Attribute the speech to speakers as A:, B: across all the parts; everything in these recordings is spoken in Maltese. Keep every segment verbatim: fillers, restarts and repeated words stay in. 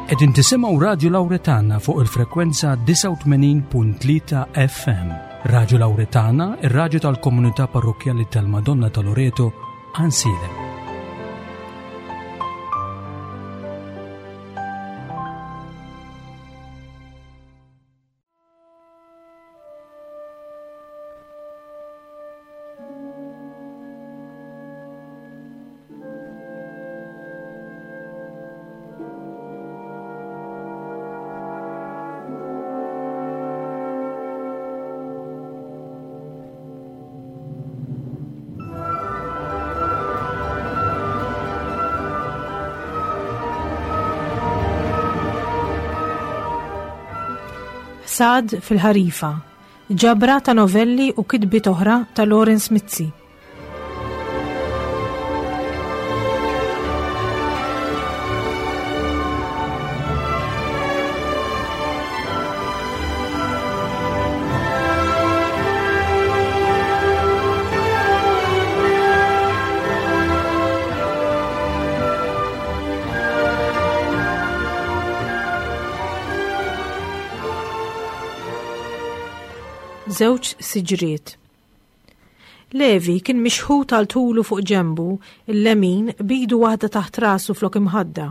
A: Qegħdin tisimgħu Radio Lauretana fuq il-frekwenza disgħa u tmenin punt tlieta F M. Radio Lauretana, ir-raġu tal-komunità parrokjali tal-Madonna ta' Loreto, Għajnsielem.
B: Ħsad fil-ħarifa, ġabra ta' novelli u kitbiet oħra ta' Lawrence Mizzi. Żewġ siġriet. Levi kien mixħut għal tulu fuq ġembu il-lemin, b'idu waħda taħt rasu flok imħadda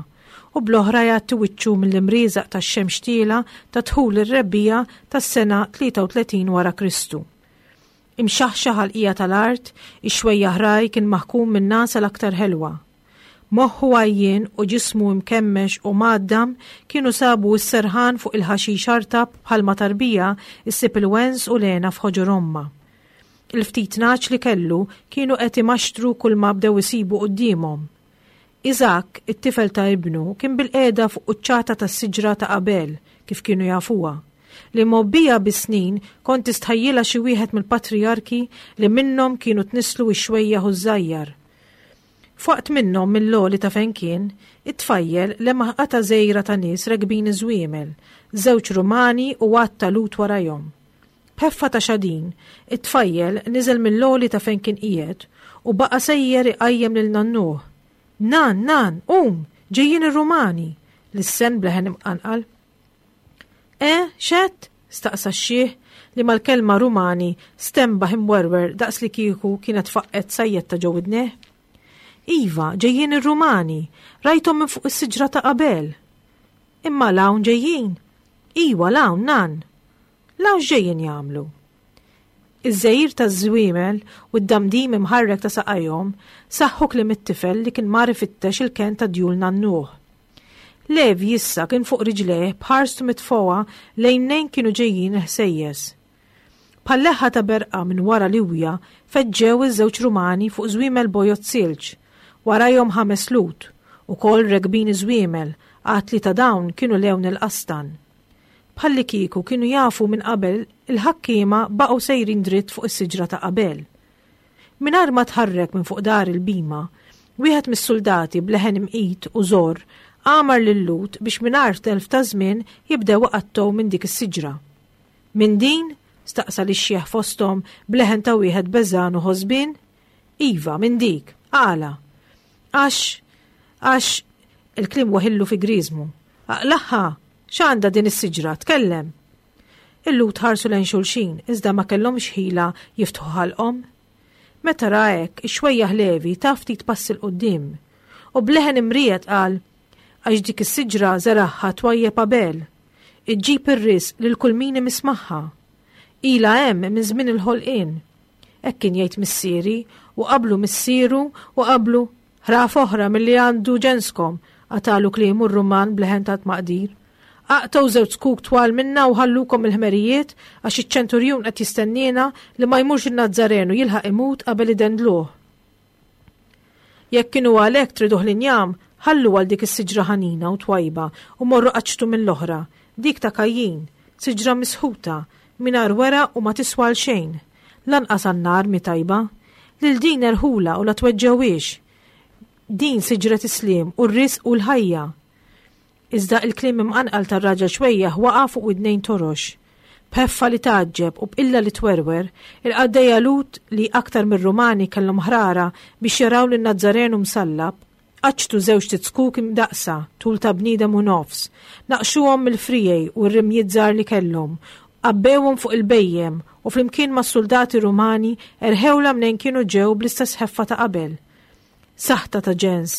B: u bl-oħra jgħatti wiċċu mill-imrieżaq tax-xemx tielgħa ta' dħul ir-rebbiegħa tas-sena tlieta u tletin wara Kristu. Imxaħxaħ għall-qiegħa tal-art, ix-xwejjaħ ragħaj kien maħkum minn nagħsa l-aktar ħelwa. Moħħu għajjien u ġismu imkemmex u mgħaddam kienu sabu s-serħan fuq il-ħaxix artab bħalma tarbija issib il-wens u l-hena f'ħoġor ommha. Il-ftit nagħaġ li kellu kienu qed imaxtru kull ma bdew isibu quddiemhom. Iżak, it-tifel ta' ibnu, kien bilqiegħda fuq quċċata tas-siġra ta' Abel, kif kienu jafuha, li mgħobbija bis-snin kont tistħajjilha xi wieħed mill-patrijarki li minnhom kienu tnisslu x-xwejjaħ u ż-żajjar. F'waqt minnhom, mill-għoli ta' fejn kien, it-tfajjel lemaħ qatgħa żgħira ta' nies rekbin iż-żwiemel, żewġ Rumani u għadd ta' Lhud warajhom. B'ħeffa ta' xadin, it-tfajjel niżel mill-għoli ta' fejn kien qiegħed u baqa' sejjer iqajjem lil nannuh. "Nan, nan, um, ġejjin ir-Rumani," lissen b'leħen imqanqal. "E, x'għedt?" staqsa x-xiħ li mal-kelma Rumani stenbaħ imwerwer daqs li kieku kienet faqqgħet sajjetta ġo widnejh. "Iva, ġejjin ir-Rumani, rajthom minn fuq is-siġra ta' Abel." "Imma 'l hawn ġejjin?" "Iwa, 'l hawn, nan." "'L hawn x'ġejjin jagħmlu?" Iż-żegħir taż-żwiemel u d-damdim imħarrek ta' saqajhom saħħu kliem it-tifel li kien mar ifittex il-ken ta' djul nannuh. Levi issa kien fuq riġlejh, b'ħarstu mitfugħa lejn fejn kienu ġejjin il-ħsejjes. Bħal-leħħa ta' berqa minn wara liwja feġġew iż-żewġ Rumani fuq żwiemel bojod silġ, warajhom ħames Lhud, ukoll rekbin iż-żwiemel, għad li ta' dawn kienu lewn il-qastan. Bħalli kieku kienu jafu minn qabel, il-ħakkiema baqgħu sejrin dritt fuq is-siġra ta' Abel. Mingħajr ma tħarrek minn fuq dahar il-bhima, wieħed mis-soldati b'leħen imqit u żorr amar lil-Lhud biex mingħajr telf ta' żmien jibdew iqattgħu minn dik is-siġra. "Minn din?" staqsa lix-xiħ fosthom b'leħen ta' wieħed beżgħan u ħosbien. "Iva, minn dik. Għala?" "Għax, għax," il-kliem weħillu fi griżmu. "Aqlagħha, x'għandha din is-siġra, tkellem." Il-Lhud ħarsu lejn xulxin, iżda ma kellhomx ħila jiftħu ħalqhom. Meta ra hekk, ix-xwejjaħ Levi ta ftit passi 'l quddiem u b'leħen imriegħed qal: "Għax dik is-siġra żeragħha twajjeb Abel. Iġġib ir-risq lil kull min imiss magħha. Ilha hemm minn żmien il-ħolqien. Hekk kien jgħid missieri u qablu missieru u qablu." "Ħraf oħra milli għandu ġenskom," qatagħlu kliemu r-Ruman b'leħen ta' tmaqdir. "Aqtgħu żewġ zkuk twal minna u ħallukom il-ħmerijiet, għax iċ-ċenturjun qed jistenniena li ma jmurx in-Nazzarenu jilħaq imut qabel idendluh. Jekk kienu għalhekk triduh l-injam, ħallu għal dik is-siġra ħanina u twajba u morru qaċċtu mill-oħra, dik ta' Kajjin, siġra misħuta, mingħajr weraq u ma tiswa għal xejn. Lanqas għan-nar mhi tajba. Lil din erħulha u la tweġġgħuhiex. Din siġret is-sliem u r-risq u l-ħajja." Iżda il-kliem imqanqal tar-raġel xwejjaħ waqa' fuq widnejn torox. B'ħeffa li tgħaġġeb u b'qilla li twerwer, il-qaddejja Lhud li aktar mir-Rumani kellhom ħrara biex jaraw lin Nazzarenu msallab, Qaċċtu żewġt izkuk imdaqqsa, tul ta' bniedem u nofs, naqxuhom mill-friegħi u r-rimjiet żgħar li kellhom, għabbewhom fuq il-bhejjem u flimkien mas-suldati Rumani erħewla mnejn kienu ġew bl-istess ħeffa ta' qabel. Saħta ta' ġens,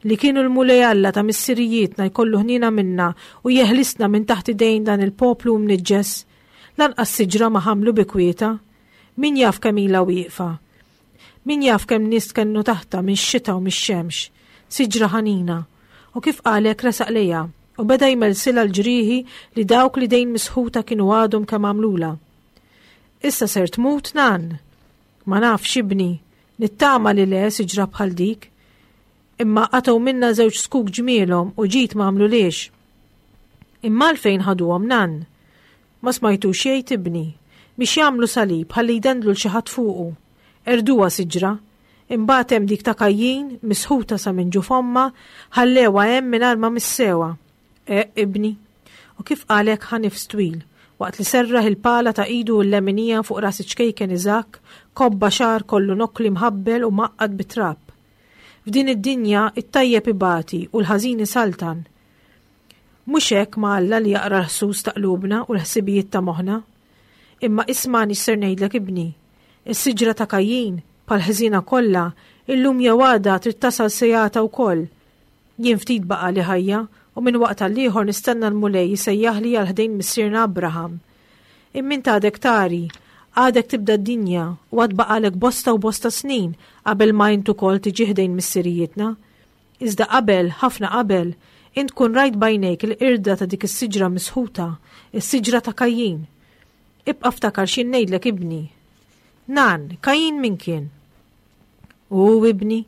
B: li kienu l-Mulej Alla ta' missirijietna jkollu ħniena minna u jeħlisna minn taħt idejn dan il-poplu mniġġes. Lanqas siġra ma ħamlu bi kwieta. Min jaf kemm ilha wieqfa? Min jaf kemm nies tkennu taħtha mix-xita u mix-xemx? Siġra ħanina. U kif qalek resaq lejha u beda jmelsilha l-ġrieħi li dawk li dejn misħuta kienu għadhom kemm għamlula. Issa ser tmut nan? Ma nafx ibni, nittama li le siġra bħal dik. Imma qatgħu minna żewġ zkuk ġmielhom u ġid ma għamluliex. Imma għalfejn ħaduhom nan? Ma smajtux jgħid ibni, biex jagħmlu salib ħalli jdendlu l xi ħadd fuqu. Erduha siġra. Imbagħad hemm dik ta' Kajjin, misħuta sa minn ġuf ommha, ħallewha hemm mingħajr ma missewha. E, ibni. U kif qalek ħa nifs twil, waqt li serraħ il-pala ta' idu l-leminija fuq ras iċ-ċkejken Iżakk, kobba xagħar kollu nokkli mħabbel u maqqad bit-trab. F'din id-dinja it-tajjeb ibati u l-ħażin isaltan. Mhux hekk ma' Alla li jaqra l-ħsus ta' qlubna u l-ħsibijiet ta' moħħna. Imma ismani x'ser ngħidlek ibni. Is-siġra ta' Kajjin, bħal ħżiena kollha, illum jew għada trid tasal sejata wkoll. Jien ftit baqa' li ħajja u minn waqt għal ieħor nistenna l-Mulej jsejjaħli għal ħdejn missierna Abraham. Imma int għadek tari, għadek tibda d-dinja u għad baqalek bosta u bosta snin qabel ma int ukoll tiġi ħdejn missirijietna. Iżda qabel, ħafna qabel, int kun rajt b'għajnejk il-qirda ta' dik is-siġra misħuta, is-siġra ta' Kajjin. Ibqa' ftakar x'jien ngħidlek ibni. Nan, Kajjin min kien? U ibni,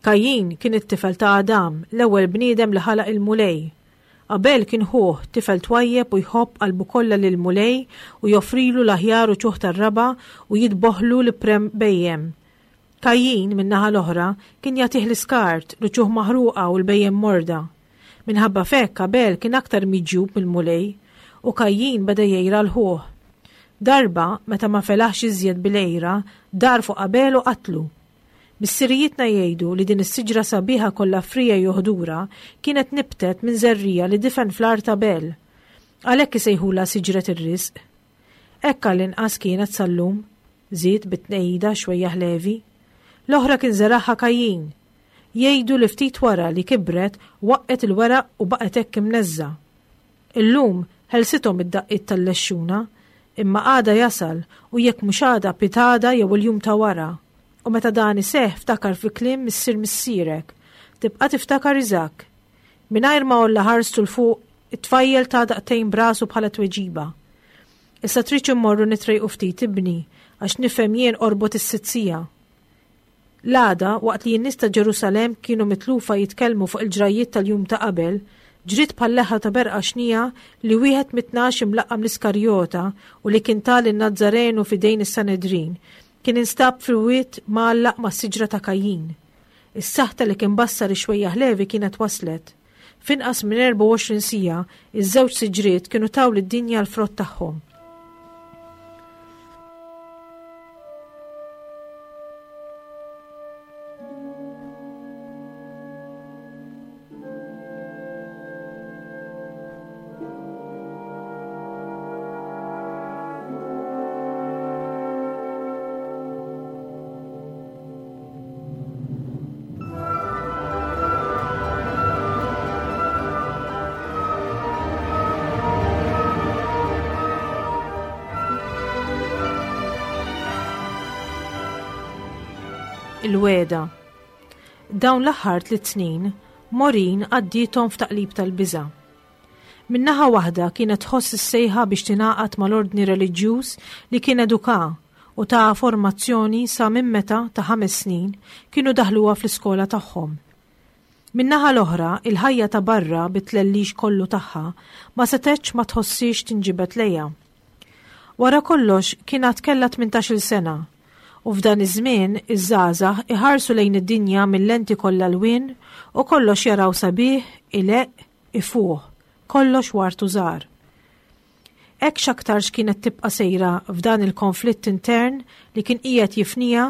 B: Kajjin kien it-tifel ta' Adam, l-ewwel bniedem li ħalaq il-Mulej. Abel kien ħuh, tifel twajjeb u jħobb qalbu kollha lill-Mulej u joffrilu l-aħjar uċuħ tar-raba' u jidboħlu l-prem bhejjem. Kajjin, min-naħa l-oħra, kien jagħtih l-iskart, l-uċuħ maħruqa u l-bhejjem morda. Minħabba f'hekk Abel kien aktar miġjub mill-Mulej u Kajjin beda jgħira l-ħuh. Darba, meta ma felaħx iżjed bil-għira, dar fuq Abel u qatlu. Missirijietna jgħidu li din is-siġra sabiħa kollha friegħi u ħdura kienet nibtet minn żerriegħa li difen fl-art Abel. Għalhekk isejħulha siġret ir-risq. Hekk għall-inqas kienet sal-lum, żied bit-tnejda xwejjaħ Levi. L-oħra kien żeragħha Kajjin. Jgħidu li ftit wara li kibret waqqet il-weraq u baqgħet hekk imneżża. Illum ħelsithom id-daqqiet tal-lexxuna, imma għada jasal u jekk mhux għada pitada jew il-jum ta' wara. U meta dan iseħħ ftakar fi kliem missier missierek, tibqa' tiftakar Iżakk. Mingħajr ma għolla ħarstu 'l fuq, it-tfajjel ta' daqtejn brasu bħala tweġiba. Issa tridx immorru nitrejqu ftit ibni, għax nifhem jien qorbot is-sitt siegħa. L-għada, waqt li n-nies ta' Ġerusalemm kienu mitlufa jitkellmu fuq il-ġrajjiet tal-jum ta' qabel, ġriet bħal leħħa ta' berqa xnija li wieħed mit-tnax imlaqqam l-Iskarjota u li kien ta lin-Nazzarenu f'idejn is-Sanedrin, kien instab fil-wied mgħallaq mas-siġra ta' Kajjin. Is-saħta li kien bassar ix-xwejjaħ Levi kienet waslet. F'inqas minn erbgħa u għoxrin siegħa, iż-żewġ siġriet kienu taw lid-dinja l-frott tagħhom. Il-weda. Dawn l-aħħar tliet snin, Maureen għaddiethom f'taqlib tal-biża'. Min-naħa waħda kienet tħoss is-sejħa biex tingħaqad mal-ordni reliġjuż li kien eduka u ta' formazzjoni sa minn meta ta' ħames snin kienu daħluha fl-iskola tagħhom. Min-naħa l-oħra, il-ħajja ta' barra bit-tlellix kollu tagħha ma setgħetx ma tħossix tinġibed lejha. Wara kollox kien għad kellha tmintax-il sena u f'dan iż-żmien iż-żgħażagħ iħarsu lejn id-dinja mill-lenti kollha lwien u kollox jaraw sabiħ, ileqq, ifuħ, kollox wartu żgħar. Hekk x'aktarx kienet tibqa' sejra f'dan il-konflitt intern li kien qiegħed jifniha,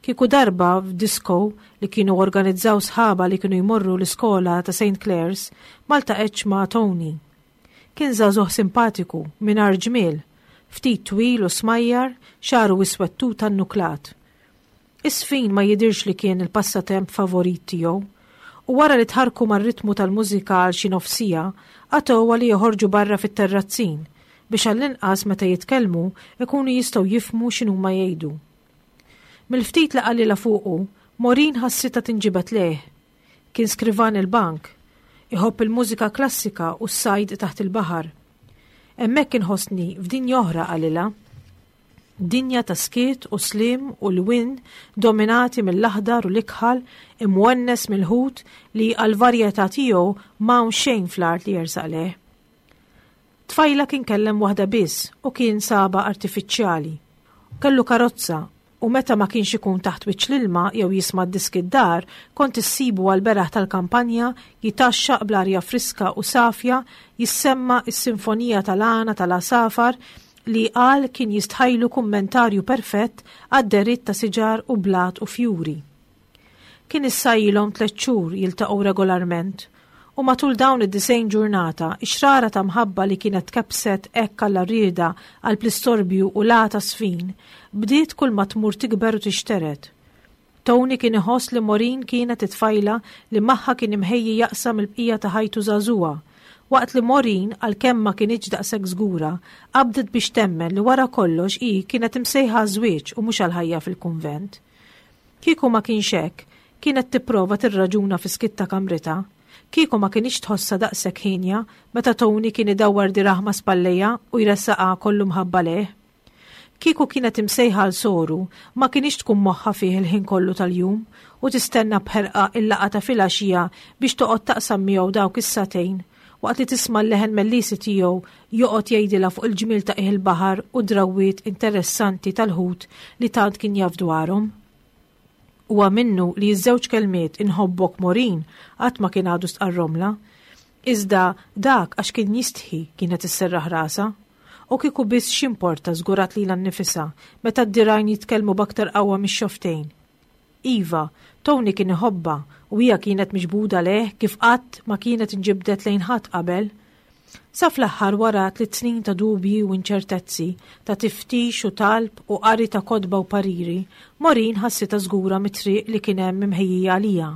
B: Kieku darba f'disco li kienu organizzaw sħaba li kienu jmorru l-iskola ta' Saint Clare's ma ltaqgħetx ma' Tony. Kien żagħżugħ simpatiku, mingħajr ġmiel, ftit twil u smajjar, xagħru iswed tan-nuklat. Iż-żfin ma jidirx li kien il-passatemp favorit tiegħu, u wara li tħarku mar-ritmu tal-mużika għal xi nofs siegħa, qatgħuha li joħorġu barra fit-terrazzin biex għall-inqas meta jitkellmu ikunu jistgħu jifhmu x'inhuma jgħidu. Mill-ftit li qalilha fuqu, Maureen ħassitha tinġibed lejh. Kien skrivan il-bank, iħobb il-mużika klassika u s-sajd taħt il-baħar. "Hemmhekk inħossni f'dinja oħra," qalilha. Dinja ta' skiet u slim u lwien dominati mill-aħdar u l-ikħal, imwennes mill-ħut li għal-varjetà tiegħu m'hawn xejn fl-art li jersaq lejh. Tfajla kien kellem waħda biss u kien sabha artifiċjali. Kellu karozza u meta ma kienx ikun taħt wiċċ l-ilma jew jisma' diski d-dar, kont issibu għal-beraħ tal-kampanja jitgħaxxaq bl-arja friska u safja, jissemma is-sinfonija tal-għana tal-għasafar li qal kien jistħajlu kummentarju perfett għad-dehriet ta' siġar u blat u fjuri. Kien issa ilhom tliet xhur jiltaqgħu regolarment u matul dawn id-disgħin ġurnata ix-xrara ta' mħabba li kienet kebset hekk għall-rieda għal pl-istorbju u lata sfin bdiet kull ma tmur tikber u tixteret. Tony kien iħoss li Maureen kienet it-tfajla li magħha kien imħejji jaqsam il-bqija ta' ħajtu żagħżugħa, waqt li Maureen, għalkemm ma kinitx daqshekk żgura, qabdet biex temmen li wara kollox hi kienet imsejħa żwieġ u mhux għal-ħajja fil-kunvent. Kieku ma kienx hekk, kienet tipprova tirraġuna fi skiet ta' kamritha, kieku ma kinitx tħossha daqshekk ħienja meta Tony kien idawwar dirgħajh ma' spallejha u jressaqha kollu mħabba lejh. Kieku kienet imsejħa għal soru, ma kinitx tkun moħħha fih il-ħin kollu tal-jum u tistenna b'ħerqa il-laqgħa ta' filgħaxija biex toqgħod taqsam miegħu dawk is-sagħtejn waqt li tisma' l-leħen mellisi tiegħu joqgħod jgħidilha fuq il-ġmiel ta' il-baħar u drawwiet interessanti tal-ħut li tant kien jaf dwarhom. Huwa minnu li ż-żewġ kelmiet "inħobbok, Maureen" qatt ma kien għadu stqarrhomlha. Iżda dak għax kien jistħi, kienet isserraħ rasha. U kieku biss x'importa, żgurat lilha nnifisha, meta d-dirgħajn jitkellmu b'aktar qawwa mix-xofftejn. Iva, Tony kien iħobbha u hija kienet miġbuda lejh kif qatt ma kienet inġibdet lejn ħadd qabel. Sa fl-aħħar, wara tliet snin ta' dubji u inċertezzi, ta' tiftix u talb u qari ta' kotba u pariri, Maureen ħassitha żgura mit-triq li kien hemm imħejjija għaliha.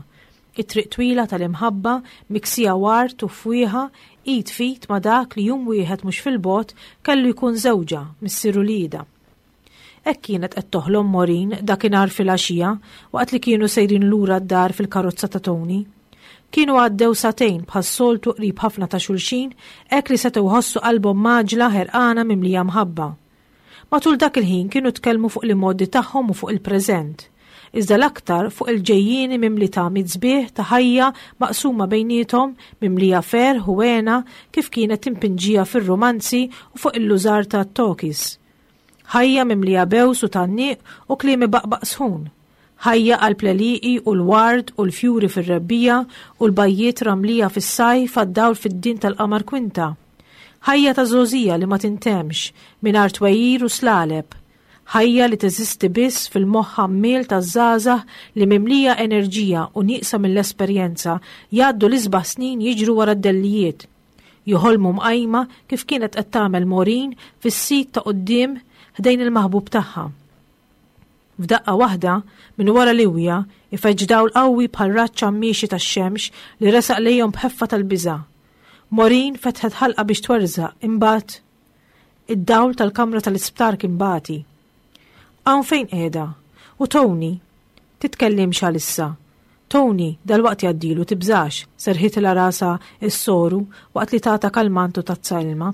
B: It-triq twila tal-imħabba miksija ward u fwieħa, id f'id ma' dak li jum wieħed mhux fil-bogħod kellu jkun żewġha, missier uliedha. Hekk kienet qed toħlom Maureen dakinhar filgħaxija waqt li kienu sejrin lura d-dar fil-karozza ta' Tony. Kienu għaddew sagħtejn bħas-soltu qrib ħafna ta' xulxin, hekk li setgħu ħossu qalbhom mgħaġġla, ħerqana, mimlija mħabba. Matul dak il-ħin kienu tkellmu fuq l-imgħoddi tagħhom u fuq il-preżent. Iżda l-aktar fuq il-ġejjieni mimli ta' sbieħ ta' ħajja maqsuma bejniethom, mimlija ferħ u hena kif kienet impinġija fir-romanzi u fuq il-liżar ta' talkies. Ħajja mimlija bews u tgħanniq u kliem ibaqbaq sħun. Ħajja qalb l-għelieqi u l-ward u l-fjuri fir-rebbiegħa u l-bajjiet ramlija fis-sajf għad-dawl fiddien tal-qamar kwinta. Ħajja ta' żgħożija li ma tintemx, mingħajr twegħir u slaleb. Ħajja li teżisti biss fil-moħħ għammiel ta' żgħażagħ li, mimlija enerġija u nieqsa mill-esperjenza, jgħaddu l-isbaħ snin jiġru wara d-dellijiet. Joħolmu mqajma kif kienet qed tagħmel Maureen fis-seat ta' quddiem ħdejn il-maħbub tagħha. F'daqqa waħda, minn wara liwja, ifeġġ dawl qawwi bħal raġġ miexi tax-xemx li resaq lejhom b'ħeffa tal-biża'. Maureen fetħet ħalqha biex twerżaq, imbagħad id-dawl tal-kamra tal-isptar kien bati. "Hawn fejn qiegħda? U Tony?" "Titkellimx għalissa. Tony, dalwaqt jgħaddilu, tibżax," serħitilha rasha s-soru waqt li tatha kalmant u tazza ilma.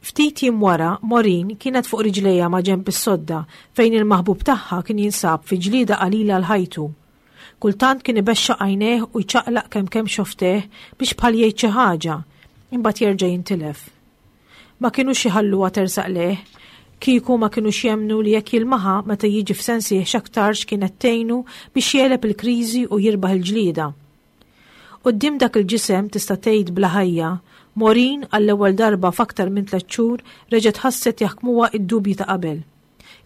B: Ftit jiem wara, Maureen kienet fuq riġlejha ma' ġenb is-sodda fejn il-maħbub tagħha kien jinsab fi ġlida qalila għal ħajtu. Kultant kien ibexxaq għajnejh u jċaqlaq kemm kemm xofftejh biex bħal jgħid xi ħaġa, imbagħad jerġa' jintilef. Ma kinux jħalluha tersaq lejh, kieku ma kinux jemmnu li jekk jilmaħha meta jiġi f'sensih x'aktarx kienet tgħinu biex jegħleb il-kriżi u jirbaħ il-ġlieda. Quddiem dak il-ġisem tista' tgħid bla ħajja, Maureen għall-ewwel darba f'aktar minn tliet xhur reġgħet ħasset jaħkmuha id-dubji ta' qabel.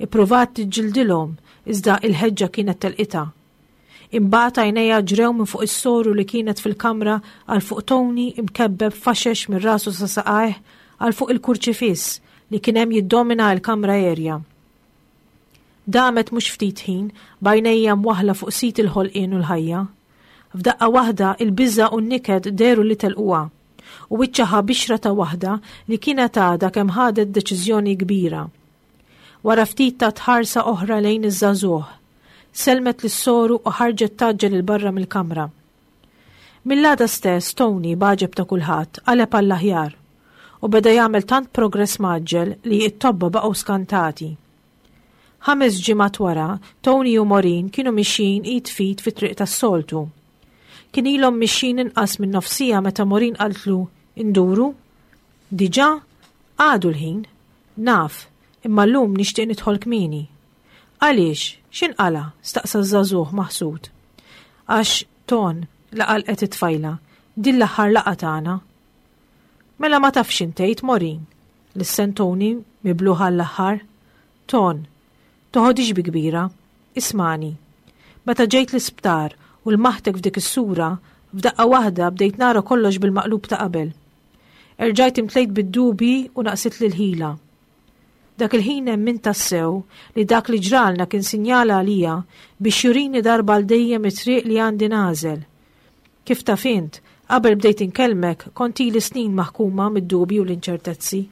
B: Ippruvat tiġġildilhom, iżda il-ħeġġa kienet telqitha. Imbagħad għajnejha ġrew minn fuq is-soru li kienet fil-kamra għal fuq Tony imkebbeb faxex minn rasu sa saqajh għal fuq il-kurċifiss li kien hemm jiddomina l-kamra erja. Damet mhux ftit ħin b'għajnejha mwaħħla fuq sit il-ħolqien u l-ħajja. F'daqqa waħda il-biża' u n-niket dehru li telquha u wiċċha ħa bixra ta' waħda li kienet għadha kemm ħadet deċiżjoni kbira. Wara ftit tat ħarsa oħra lejn iż-żagħżugħ. Sellmet lis-soru u ħarġet tgħaġġel 'il barra mill-kamra. Mill-għada stess Tony b'għaġeb ta' kulħadd qaleb għall-aħjar u beda jagħmel tant progress mgħaġġel li t-tobba baqgħu skantati. Ħames ġimgħat wara, Tony u Maureen kienu mixjin id f'id fit-triq tas-soltu. Kien ilhom mixjin inqas minn nofsija meta Maureen qaltlu, "Induru?" Diġà? Għadu l-ħin. Naf, imma llum nixtieq nidħol kmieni. Għaliex? X'inqala'? Staqsa ż-żagħżugħ maħsud. Għax, Ton, laqalqet it-tfajla, din l-aħħar laqgħa tagħna. Mela ma tafx intejt, Maureen? Lissen Tony mibluh għall-aħħar. Ton, toħodix bi kbira. Ismagħni. Meta ġejt l-isptar u lmaħtek f'dik is-sura, f'daqqa waħda bdejt nara kollox bil-maqlub ta' qabel. Erġajt imtlejt bid-dubji u naqsitli l-ħila. Dak il-ħin emmint tassew li dak li ġralna kien sinjal għalija biex jurini darba għal dejjem it-triq li għandi nagħżel. Kif taf int, qabel bdejt inkellmek kont ili snin maħkuma mid-dubji u l-inċertezzi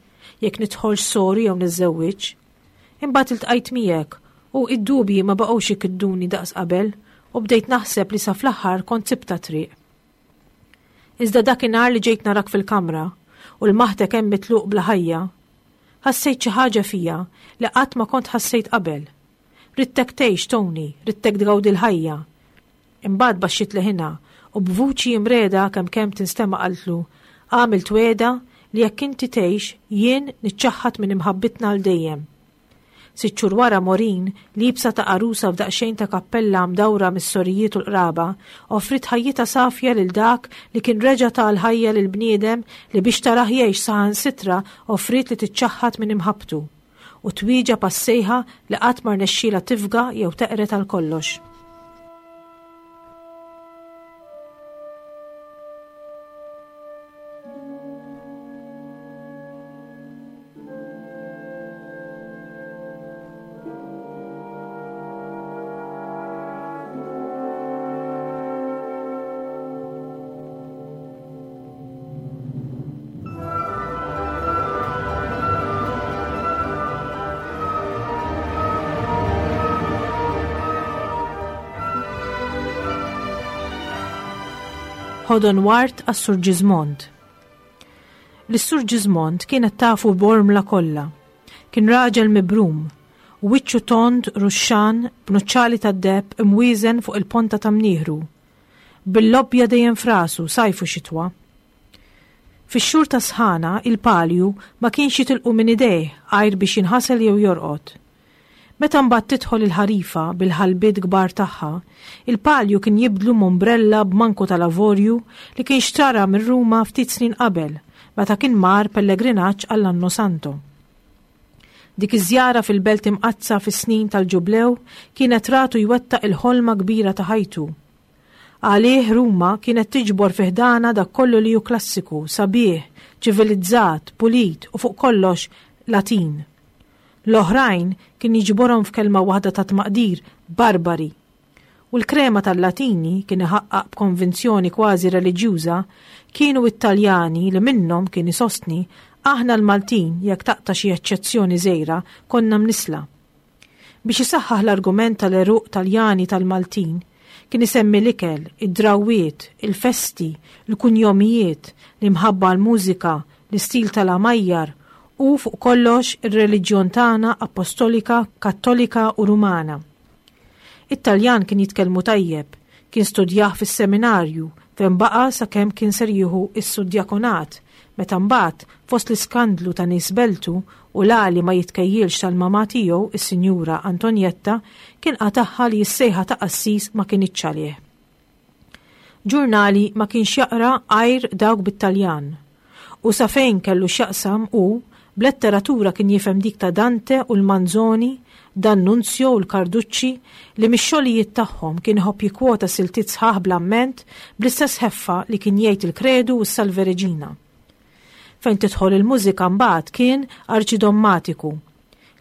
B: jekk nidħolx soru jew niżżewwiġx. Imbagħad iltqajt miegħek u id-dubji ma baqgħux ikidduni daqs qabel u bdejt naħseb li sa fl-aħħar kont sibta triq. Iżda dakinhar li ġejt narak fil-kamra u lmaħtek hemm mitluq bla ħajja, ħassejt xi ħaġa fija li qatt ma kont ħassejt qabel. Ridtek tgħix, Tony, ridtek tgawdi l-ħajja. Imbagħad baxxiet leħinha u b'vuċi imreda kemm kemm tinstema' qaltlu, għamilt wegħda li jekk inti tgħix jien niċċaħħad minn imħabbitna għal dejjem. Sitt xhur wara Maureen, liebsa ta' għarusa f'daqsxejn ta' kappella mdawra mis-sorijiet u l-qraba, offriet ħajjitha safja lil dak li kien reġa' ta l-ħajja lil bniedem li biex tarah jgħix saħansitra offriet li tiċċaħħad minn imħabbtu u twieġeb għas-sejħa li qatt ma rnexxielha tifga jew teqred għal kollox. Ħodon wart għas-Sur Ġiżmond. Lis-Sur Ġiżmond kienet tafu Bormla kollha. Kien raġel mibrum, u wiċċu tond ruxxan b'nuċċali tad-deheb imwieżen fuq il-ponta ta' mnieħru. Bil-lobbja dejjem frasu, sajf u xitwa. Fix-xhur ta' sħana, il-palju ma kienx jitilqu minn idejh għajr biex jinħasel jew jorqod. Meta mbagħad tidħol il-ħarifa bil-ħalbiet kbar tagħha, il-palju kien jibdlu m'ombrella b'manku tal-avorju li kien xtara minn Ruma ftit snin qabel, meta kien mar pellegrinaġġ għall-Anno Santo. Dik iż-żjara fil-Belt Imqaddsa fis-snin tal-Ġublew kienet ratu jwettaq il-ħolma kbira ta' ħajtu. Għalih Ruma kienet tiġbor fi ħdana dak kollu li hu klassiku, sabiħ, ċivilizzat, pulit u fuq kollox Latin. L-oħrajn kien jiġborhom f'kelma waħda ta' tmaqdir, barbari. U l-krema tal-Latini kien iħaqqaq b'konvinzjoni kważi reliġjuża kienu it-Taljani li minnhom kien isostni aħna l-Maltin jekk taqta' xi eċċezzjoni żgħira konna mnisla. Biex isaħħaħ l-argument tal-għeruq Taljani tal-Maltin, kien isemmi l-ikel, id-drawwiet, il-festi, il-kunjomijiet, l-imħabba għall-mużika, l-istil tal-għamajjar u fuq kollox ir-reliġjon tagħna apostolika, kattolika u rumana. It-Taljan kien jitkellmu tajjeb, kien studjah fis-seminarju fejn baqa' sakemm kien ser jieħu s-sudjakonat, meta mbagħad fost l-iskandlu ta' nies beltu u l-għali ma jitkejjilx tal-mamà tiegħu, is-Sinjura Antonietta, kien qatagħha li s-sejħa ta' qassis ma kinitx għalih. Ġurnali ma kienx jaqra għajr dawk bit-Taljan. U sa fejn kellu x'jaqsam hu B'letteratura kien jifhem dik ta' Dante u l-Manzoni, D'Annunzio u l-Carducci li mix-xogħlijiet tagħhom kien iħobb jikkwota siltiet sħaħ bl-amment bl-istess ħeffa li kien jgħid il-Kredu u s-Salve Regina. Fejn tidħol il-mużika mbagħad kien arċidommatiku.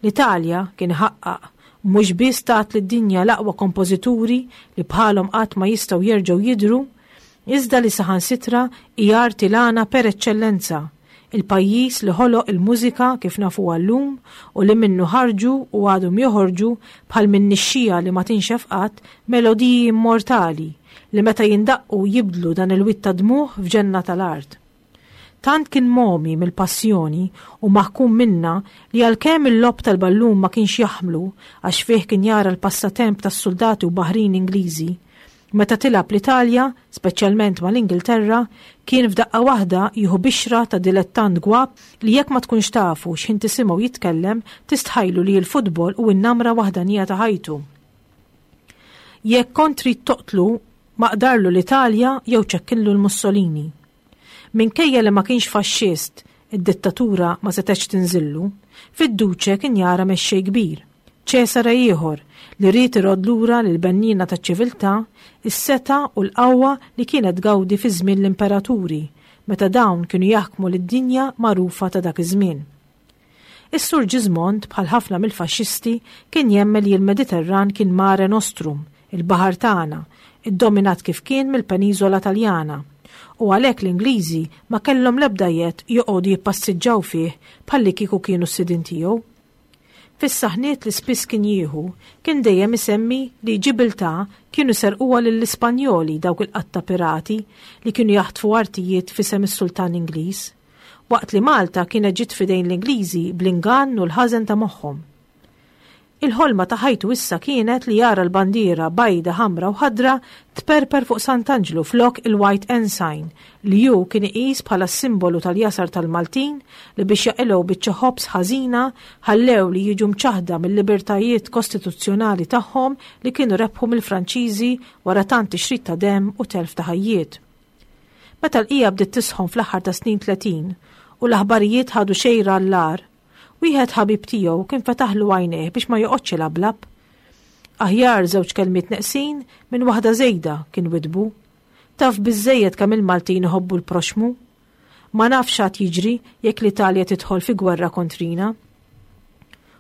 B: L-Italja kien iħaqqaq mhux biss tat lid-dinja l-aqwa kompożituri li bħalhom qatt ma jistgħu jerġgħu jidhru, iżda li saħansitra hi arti l-għana per eċċellenza, il-pajjiż li ħoloq il-mużika kif nafuha llum u li minnu ħarġu u għadhom joħorġu bħal minn nixxija li ma tinxef qatt melodiji immortali li meta jindaqqu jibdlu dan il-wied ta' dmugħ f'ġenna tal-art. Tant kien momi mill-passjoni u maħkum minnha li għalkemm il-logħob tal-ballun ma kienx jaħmlu għax fih kien jara l-passatemp tas-suldati u baħrin Ingliżi, meta tilgħab l-Italja, speċjalment mal-Ingilterra, kien f'daqqa waħda jieħu bixra ta' dilettant gwapp li jekk ma tkunx tafu x'ħin tisimgħu jitkellem tistħajlu li l-futbol hu n-namra waħdanija ta' ħajtu. Jekk kont trid toqtlu, maqdarlu l-Italja jew ċekkillu l-Mussolini. Minkejja li ma kienx faxxist, id-dittatura ma setgħetx tinżillu, fid-Duċe kien jara mexxej kbir, Ċesare ieħor li ried irodd lura lill-benniena taċ-ċiviltà is-setgħa u l-qawwa li kienet tgawdi fi żmien l-imperaturi, meta dawn kienu jaħkmu lid-dinja magħrufa ta' dak iż-żmien. Is-Sur Ġiżmond, bħal ħafna mill-faxxisti, kien jemmen li l-Mediterran kien mare nostrum, il-baħar tagħna, iddominat kif kien mill-peniżola Taljana, u għalhekk l-Ingliżi ma kellhom l-ebda jedd joqogħdu jippassiġġaw fih bħalli kieku kienu s-sidien tiegħu. Fis-saħniet li spiss kien jieħu, kien dejjem isemmi li Ġibiltà kienu serquha lill-Ispanjoli dawk il-qatta pirati li kienu jaħtfu artijiet f'isem is-Sultan Ingliż, waqt li Malta kienet ġiet f'idejn l-Ingliżi bl-ingann u l-ħażen ta' moħħhom. Il-ħolma ta' ħajtu issa kienet li jara l-bandiera bajda, ħamra u ħadra tperper fuq Sant'Anġlu flok il-White Ensign li hu kien iqis bħala s-simbolu tal-jasar tal-Maltin li biex jaqilgħu biċċa ħobż ħażina ħallew li jiġu mċaħda mill-libertajiet kostituzzjonali tagħhom li kienu rebħu mill-Franċiżi wara tant tixrid ta' demm u telf ta' ħajjiet. Meta l-qija bdiet tisħon fl-aħħar ta' snin tletin u l-aħbarijiet ħadu xejra l-lar, wieħed ħabib tiegħu kien fetaħlu għajnejh biex ma joqgħodx ilablab. Aħjar żewġ kelmiet neqsin minn waħda żejda kien widbu. Taf biżżejjed kemm il-Maltin iħobbu l-proxmu. Ma nafx x'għad jiġri jekk l-Italja tidħol fi gwerra kontrina.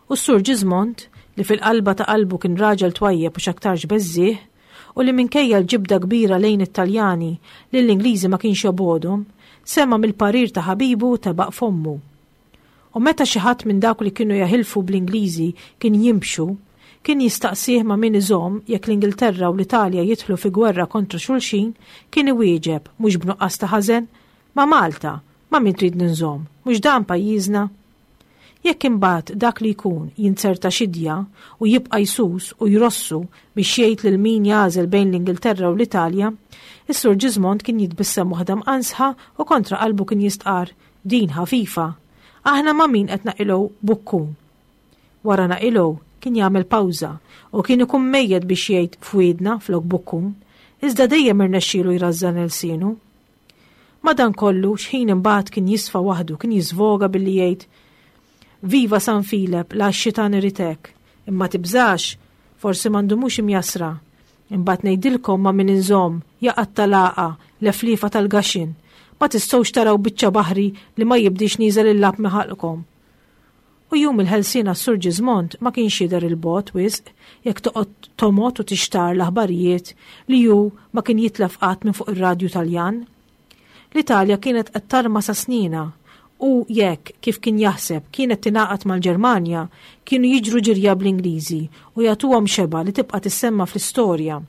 B: U s-Sur Ġiżmond, li fil-qalba ta' qalbu kien raġel twajjeb u x'aktarx beżżieħ, u li minkejja l-ġibda kbira lejn it-Taljani lill-Ingliżi ma kienx jobgħodhom, sema' mill-parir ta' ħabibu tebaq fommu. U meta xi ħadd minn dawk li kienu jaħilfu bl-Ingliżi kien jimxu, kien jistaqsih ma' min iżomm jekk l-Ingilterra u l-Italja jidħlu fi gwerra kontra xulxin, kien iwieġeb mhux b'nuqqas ta' ħażen, ma' Malta, ma' min trid ninżomm, mhux dan pajjiżna. Jekk imbagħad dak li jkun jinzerta xidja u jibqa' jsus u jrossu biex jgħid lil min jagħżel bejn l-Ingilterra u l-Italja, is-Sur Ġiżmond kien jitbissem waħda mqansħa u kontra qalbu kien jistqar din ħafifa. Aħna ma' min qed naqilgħu bukkun. Wara naqilgħu kien jagħmel pawża u kien ikun mejjed biex jgħid fwiedna flok bukkun, iżda dejjem irnexxielu jrażżan ilsienu. Madankollu x'ħin imbagħad kien jisfa waħdu kien jiżvoga billi jgħid Viva San Filep, la x-xitan irid hekk, imma tibżax, forsi m'għandhomux imjasra. Imbagħad ngħidilkom ma' min inżomm, jaqgħad tal-għaqa, l-eflifa tal-gaxin. Ma tistgħux taraw biċċa baħri li ma jibdix nieżel il-lab miħalqkom. U jum il-ħelsien għas-Sur Ġiżmond ma kienx jidher il-bogħod wisq jekk toqgħod tomgħod u tixtar l-aħbarijiet li hu ma kien jitlef qatt minn fuq ir-radju Taljan. L-Italja kienet qed tarma sa snina u jekk kif kien jaħseb kienet tingħaqad mal-Ġermanja kienu jiġru ġirja bl-Ingliżi u jagħtuhom xeba li tibqa' tissemma fl-istorja.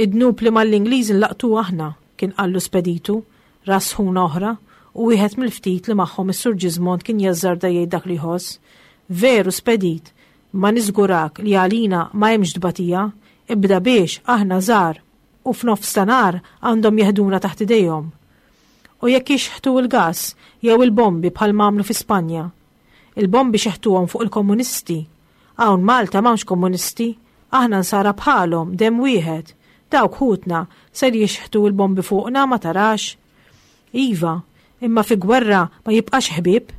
B: Id-dnub li mal-Ingliżi nlaqtu aħna, kien qallu Speditu, ras ħuna oħra, u wieħed mill-ftit li magħhom is-Sur Ġiżmond kien jażżarda jgħid dak li jħoss. Veru Spedit, ma niżgurak li għalina ma hemmx tbatija, ibda biex aħna żgħar u f'nofs ta' nar għandhom jeħduna taħt idejhom. U jekk jixħtu l-gas jew il-bombi bħal m'għamlu fi Spanja. Il-bombi xeħtuhom fuq il-komunisti. Hawn Malta m'hawnx komunisti, aħna nsara bħalhom, demm wieħed. Dawk ħutna ser jixħtu l-bombi fuqna ma tarax. Iva, imma fi gwerra ma jibqax ħbieb.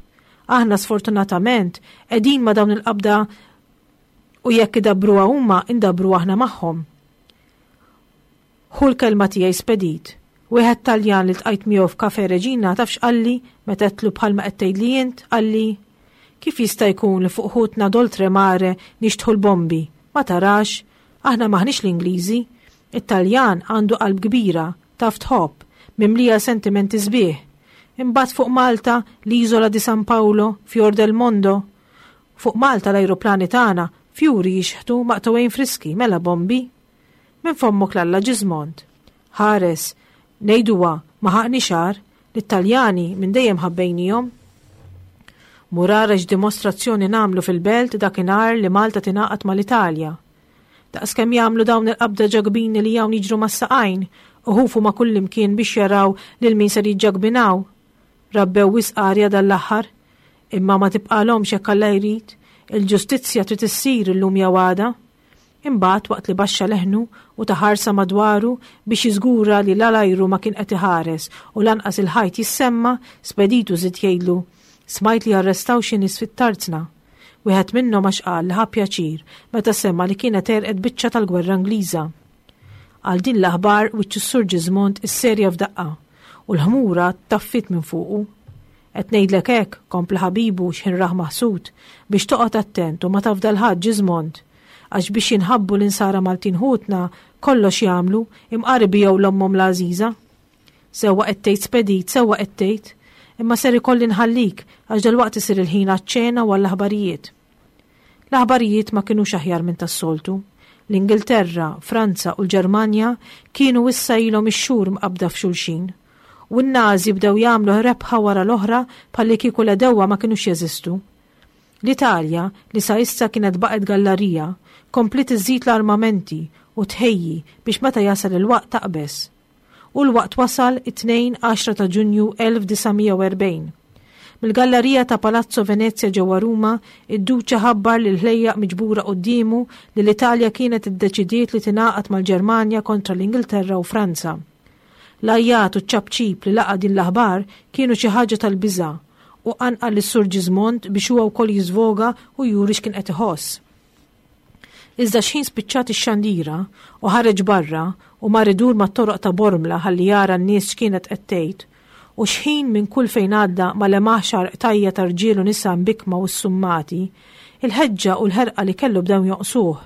B: Aħna sfortunatament qegħdin ma' dawn il-qabda u jekk idabbruha huma indabru aħna magħhom. Ħu l-kelma tiegħi Spedit. Wieħed Taljan li ltqajt miegħu f'Cafe Reġina taf x'qalli meta għedtlu bħalma qed tgħidli int, qalli kif jista' jkun li fuq ħutna d'oltre mare nixtħu l-bombi? Ma tarax, aħna maħniex l-Ingliżi. It-Taljan għandu qalb kbira, taf tħobb, mimlija sentimenti sbieħ. Imbagħad fuq Malta, l-Isola di San Paolo, Fior del Mondo. Fuq Malta l-ajruplani tagħna fjuri jixħtu maqtugħin friski, mela bombi. Minn fommok 'l Alla Ġiżmond. Ħares, ngħiduha ma ħaqni xar, l-Italjani minn dejjem ħabbejnihom. Mur ara x'dimostrazzjoni nagħmlu fil-belt dakinhar li Malta tingħaqad mal-Italja. Daqskemm jagħmlu dawn il-qabda ġagbini li hawn jiġru mas-saqajn u ħufu ma' kullimkien biex jaraw lil min ser jiġġagbinaw. Rabbew wisq arja dal-aħħar, imma ma tibqalhomx jekk Alla jrid, il-ġustizzja trid issir illum jew għada. Imbagħad waqt li baxxa leħnu u ta ħarsa madwaru biex jiżgura li l-ajru ma kien qed iħares u lanqas il-ħajt jissemma, Speditu żied jgħidlu, smajt li arrestaw xi nies fit-tarzna. Wieħed minnhom għax qal li ħa pjaċir meta semma li kienet għerqet biċċa tal-gwerra Ingliża. Għal din l-aħbar wiċċ is-Sur Ġiżmond isserja f'daqqa u l-ħmura taffit minn fuqu. Qed ngħidlek hekk, kompla ħabibu x'ħin rah maħsud, biex toqgħod attent u ma tafdal ħadd Ġiżmond, għax biex jinħabbu l-insara Maltin ħutna kollox jagħmlu imqar ibigħu 'l ommhom l-għażiża. Sewwa qed tgħid Spedit, sewwa qed tgħid, imma ser ikolli nħallik għax dalwaqt isir il-ħin għaċ-ċena u għall-aħbarijiet. L-aħbarijiet ma kinux aħjar minn tas-soltu. L-Ingilterra, Franza u l-Ġermanja kienu issa ilhom ix-xhur mqabda f'xulxin. U n-Nazi bdew jagħmlu rebħa wara l-oħra bħalli kieku l-għedewwa ma kinux jeżistu. L-Italja, li sa issa kienet baqgħet gallarija, kompliet iżżid l-armamenti u tħejji biex meta jasal il-waqt taqbeż. U l-waqt wasal it-tnejn għaxra ta' Ġunju elf disa' mija u erbgħin. Mill-gallerija ta' Palazzo Venezia ġewwa Ruma, id-Duċa ħabbar lil ħlejjaq miġbura quddiemu li l-Italja kienet iddeċidiet li tingħaqad mal-Ġermanja kontra l-Ingilterra u Franza. L-għajjat u ċ-ċapċip li laqa' din l-aħbar kienu xi ħaġa tal-biża' u qanqal lis-Sur Ġiżmond biex huwa wkoll jiżvoga u juri x'kien qed iħoss. Iżda x'ħin spiċċat ix-xandira u ħareġ barra u mar idur mat-toroq ta' Bormla ħalli jara n-nies x'kienet qed tgħid, u x'ħin minn kull fejn għadda ma lemaħx għarq tajja ta' rġiel u nisa mbikma u ssummati, il-ħeġġa u l-ħerqa li kellu bdew jonqsuh.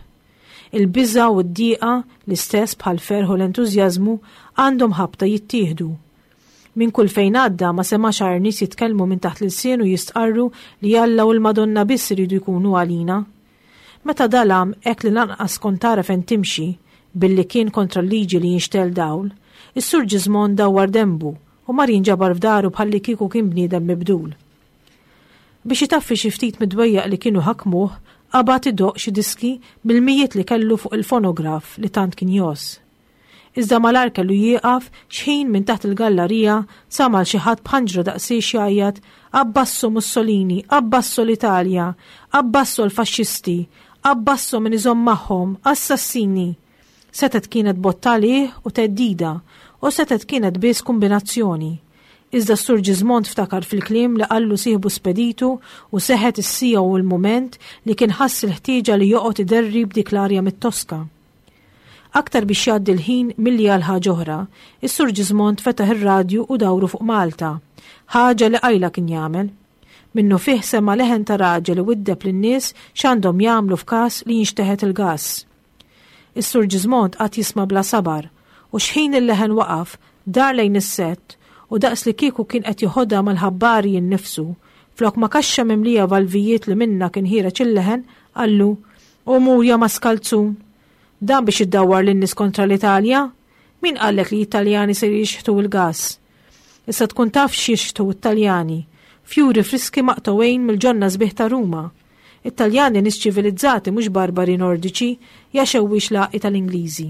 B: Il-biża' u d-dieqa, l-istess bħal ferħ u l-entużjażmu, għandhom ħabta jittieħdu. Minn kull fejn għadda ma semax għar nies jitkellmu minn taħt l-ilsien u jistqarru li Alla u l-Madonna biss iridu jkunu għalina. Meta dalam hekk li lanqas kont tara fejn timxi, billi kien kontra l-liġi li jinxtel dawl, is-Sur Ġiżmond dawwar dembu u mar jinġabar f'daru bħalli kieku kien bniedem mibdul. Biex itaffi xi ftit mid-dwejjaq li kienu ħakmuh, qabad idoqq xi diski mill-mijiet li kellu fuq il-fonograf li tant kien jgħożż. Iżda malar kellu jieqaf x'ħin minn taħt il-gallarija sama' xi ħadd b'ħanġra daqsiex jgħajjat Abbasso Mussolini, abbasso l-Italja, abbasso l-faxxisti, abbasso min iżomm magħhom, assassini. Setgħet kienet botta għalih u theddida, u setgħet kienet biss kombinazzjoni. Iżda s-Sur Ġiżmond ftakar fil-kliem li qallu sieħbu Speditu u seħet is-sija u l-mument li kien ħass il-ħtieġa li joqgħod iderri b'dik l-arja mit-Toska. Aktar biex jgħaddi l-ħin milli għal ħaġa oħra, is-Sur Ġiżmond fetaħ ir-radju u dawru fuq Malta, ħaġa li qajla kien jagħmel. Minnu fih sema' leħen ta' raġel li widdeb lin-nies x'għandhom jagħmlu f'każ li jinxteħet il-gass. Is-Sur Ġiżmond qatt jisma' bla sabar u x'ħin il-leħen waqaf dar lejn is-sett u daqs li kieku kien qed joħodha mal-ħabbari innifsu, flok ma kaxxa mimlija valvijiet li minna kien ħiereġ il-leħen, qallu, U mur ja maskalzun. Dan biex iddawwar lin-nies kontra l-Italja? Min qallek li l-Italjani se jixħtu l-gass? Issa tkun taf x'jixħtu t-Taljani. Fjuri friski maqtugħin mill-ġonna sbieħ ta' Ruma. It-Taljani nies ċivilizzati mhux barbari nordiċi, ja xewwix laqi tal-Ingliżi.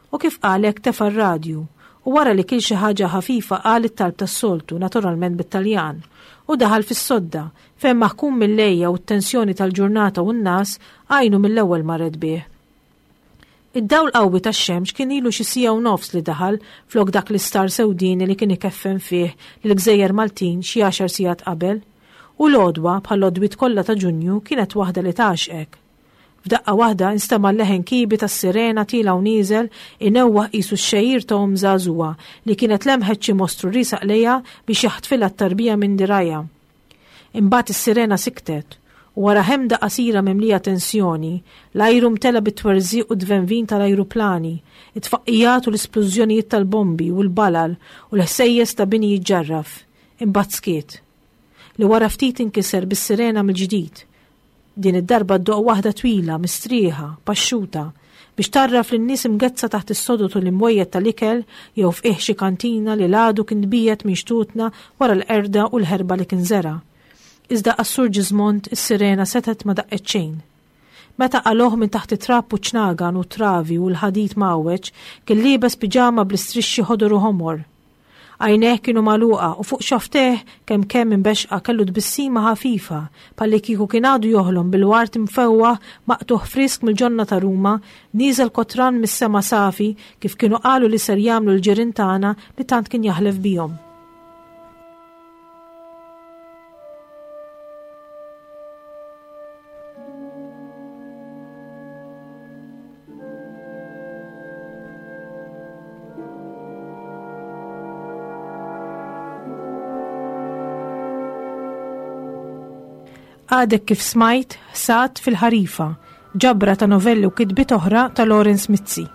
B: U kif qalek tefa' r-radju, u wara li kil xi ħaġa ħafifa qal it-talb tas-soltu, naturalment bit-Taljan, u daħal fis-sodda, fejn maħkum mill-lejja u t-tensjoni tal-ġurnata u n-nas għajnu mill-ewwel marret bih. Id-dawl qawwi tax-xemx kien ilu xi siegħa u nofs li daħal flok dak l-istar sewdini li kien ikeffen fih lill-gżejjer Maltin xi għaxar sigħat qabel, U l-għodwa, bħall-għodwiet kollha ta' Ġunju, kienet waħda li tgħaxxqek. F'daqqa waħda instema' l-leħen kiebi tas-sirena tiela' u nieżel inewwaħ qisu x-xegħir ta' omm żagħżugħa li kienet lemħet xi mostru riesaq lejha biex jaħtfilha t-tarbija minn dirgħajha. Imbagħad is-sirena siktet u wara ħemda qasira mimlija tensjoni, l-ajru mtela bit-twerżiq u d-dvenvin tal-ajruplani, it-tfaqqijat u l-isplużjonijiet tal-bombi u l-balal u l-ħsejjes ta' bini jiġġarraf. Imbagħad skiet. Li wara ftit inkiser bis-sirena mill-ġdid. Din id-darba ddoqq waħda twila, mistrieħa, paxxuta, biex tgħarraf lin-nies imgeddsa taħt is-sodod u l-imwejjed tal-ikel jew f'qiegħ xi kantina li l-għadu kien tbiegħed minn xtutna wara l-qerda u l-ħerba li kien żera'. Iżda għas-Sur Ġiżmond is-sirena setgħet ma daqqet xejn. Meta qalgħuh minn taħt it-trab u ċ-ċnagan u t-travi u l-ħadid mgħawweġ, kien liebes piġama bl-istrixxi ħodor u ħomor. Għajnejh kienu magħluqa u fuq xofftejh kemm kemm imbexxqa kellu tbissima ħafifa bħallikieku kien għadu joħlom bil-ward imfewwaħ maqtugħ frisk mill-ġonna ta' Ruma nieżel kotran mis-sema safi kif kienu qalu li ser jagħmlu l-ġirien tagħna li tant kien jaħlef bihom. Għadek kif smajt Ħsad fil-Ħarifa, ġabra ta' novelli u kitbiet oħra ta' Lawrence Mizzi.